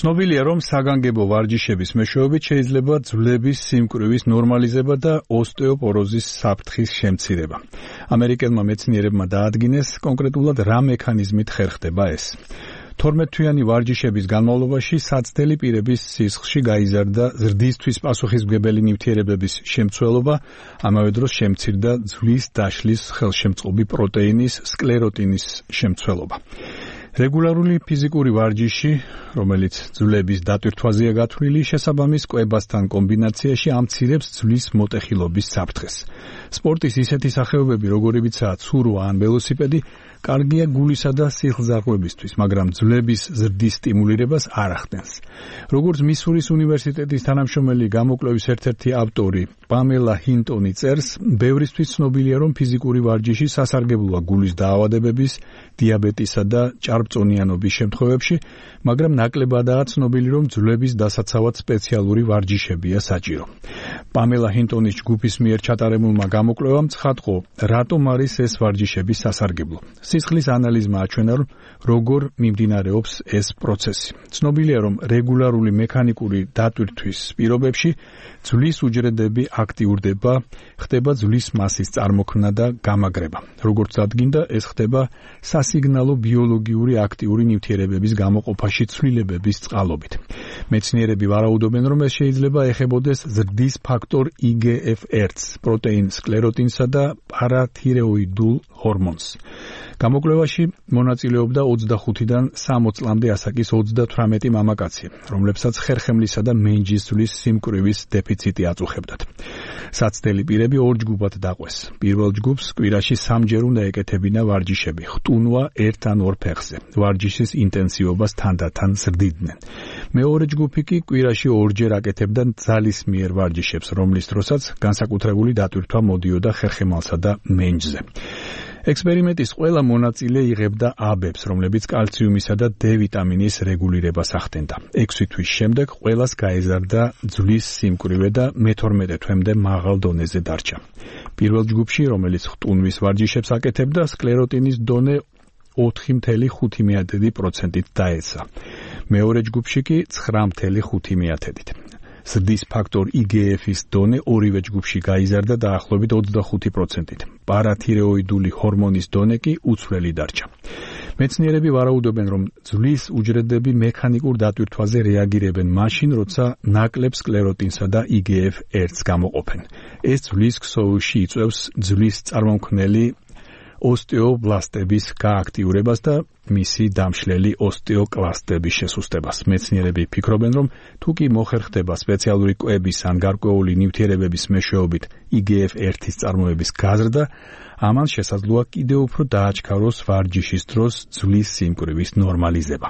ცნობილია, რომ საგანგებო ვარჯიშების მეშვეობით შეიძლება ძვლების სიმკვრივის ნორმალიზება და ოსტეოპოროზის საფრთხის შემცირება. ამერიკელმა მეცნიერებმა დაადგინეს კონკრეტულად რა მექანიზმით ხერხდება ეს. 12-თვიანი ვარჯიშების განმავლობაში საცდელი პირების სისხლში გაიზარდა ზრდისთვის პასუხისმგებელი ნივთიერებების შემცველობა, ამავე დროს შემცირდა ძვლის დაშლის ხელშემწყობი პროტეინის სკლეროტინის შემცველობა. რეგულარული ფიზიკური ვარჯიში, რომელიც ძვლების დატვირთვაზეა გათვლილი, შესაბამის კვებასთან კომბინაციაში ამცირებს ძვლის მოტეხილობის საფრთხეს. სპორტის ისეთი სახეობები, როგორებიცაა ცურვა ან ველოსიპედი, კარგია გულისა და სისხლძარღვებისთვის, მაგრამ ძვლების ზრდის სტიმულირებას არ ახდენს. როგორც მისურის უნივერსიტეტის თანამშრომელი გამოკვლევის ერთ-ერთი ავტორი პამელა ჰინტონი წერს, ბევრისთვის ცნობილია, რომ ფიზიკური ვარჯიში სასარგებლოა გულის დაავადებების, დიაბეტისა და ჭარბწონიანობის შემთხვევებში, მაგრამ ნაკლებადაა ცნობილი, რომ ძვლების დასაცავად სპეციალური ვარჯიშებია საჭირო. პამელა ჰინტონის ჯგუფის მიერ ჩატარებულმა გამოკვლევამ ცხადყო, რატომ არის ეს ვარჯიშები სასარგებლო. სისხლის ანალიზმა აჩვენა, როგორ მიმდინარეობს ეს პროცესი. ცნობილია, რომ რეგულარული მექანიკური დატვირთვის პირობებში ძვლის უჯრედები აქტიურდება, ხდება ძვლის მასის წარმოქმნა და გამაგრება. როგორც დადგინდა, ეს ხდება სასიგნალო ბიოლოგიური აქტიური ნივთიერებების გამოყოფაში ცვლილებების წყალობით. მეცნიერები ვარაუდობენ, რომ ეს შეიძლება ეხებოდეს ზრდის ფაქტორ IGF-1-ს, პროტეინ სკლეროტინსა და პარათირეოიდულ ჰორმონს. გამოკვლევაში მონაწილეობდა 25-დან 60 წლამდე ასაკის 38 მამაკაცი, რომლებსაც ხერხემლისა და მენჯის ძვლის სიმკვრივის დეფიციტი აწუხებდათ. საცდელი პირები ორ ჯგუფად დაყვეს. პირველ ჯგუფს კვირაში 3 ჯერ უნდა ეკეთებინა ვარჯიშები, ხტუნვა ერთ ან ორ ფეხზე. ვარჯიშის ინტენსივობას თანდათან ზრდიდნენ. მეორე ჯგუფი კი კვირაში 2 ჯერ აკეთებდა ძალისმიერ ვარჯიშებს, რომლის დროსაც განსაკუთრებული დატვირთვა მოდიოდა ხერხემალსა და მენჯზე. ექსპერიმენტის ყველა მონაწილე იღებდა აბებს, რომლებიც კალციუმისა და D ვიტამინის რეგულირებას ახდენდა. 6 თვის შემდეგ ყველას გაეზარდა ძვლის სიმკვრივე და მე-12 თვემდე მაღალ დონეზე დარჩა. პირველ ჯგუფში, რომელიც ხტუნვის ვარჯიშებს აკეთებდა, სკლეროტინის დონე 4,5%-ით დაეცა. მეორე ჯგუფში კი 9,5%-ით. ზრდის ფაქტორ IGF-ის დონე ორივე ჯგუფში გაიზარდა დაახლოებით 25%-ით. პარათირეოიდული ჰორმონის დონე კი უცვლელი დარჩა. მეცნიერები ვარაუდობენ, რომ ძვლის უჯრედები მექანიკურ დატვირთვაზე რეაგირებენ მაშინ, როცა ნაკლებ სკლეროტინსა და IGF-1-ს გამოყოფენ. ეს ძვლის ქსოვილში იწვევს ძვლის წარმომქმნელი ოსტეობლასტების გააქტიურებას და მისი დამშლელი ოსტეოკლასტების შესუსტებას. მეცნიერები ფიქრობენ, რომ თუ კი მოხერხდება სპეციალური კვების ან გარკვეული ნივთიერებების მეშვეობით IGF-1-ის წარმოების გაზრდა, ამან შესაძლოა კიდევ უფრო დააჩქაროს ვარჯიშის დროს ძვლის სიმკვრივის ნორმალიზება.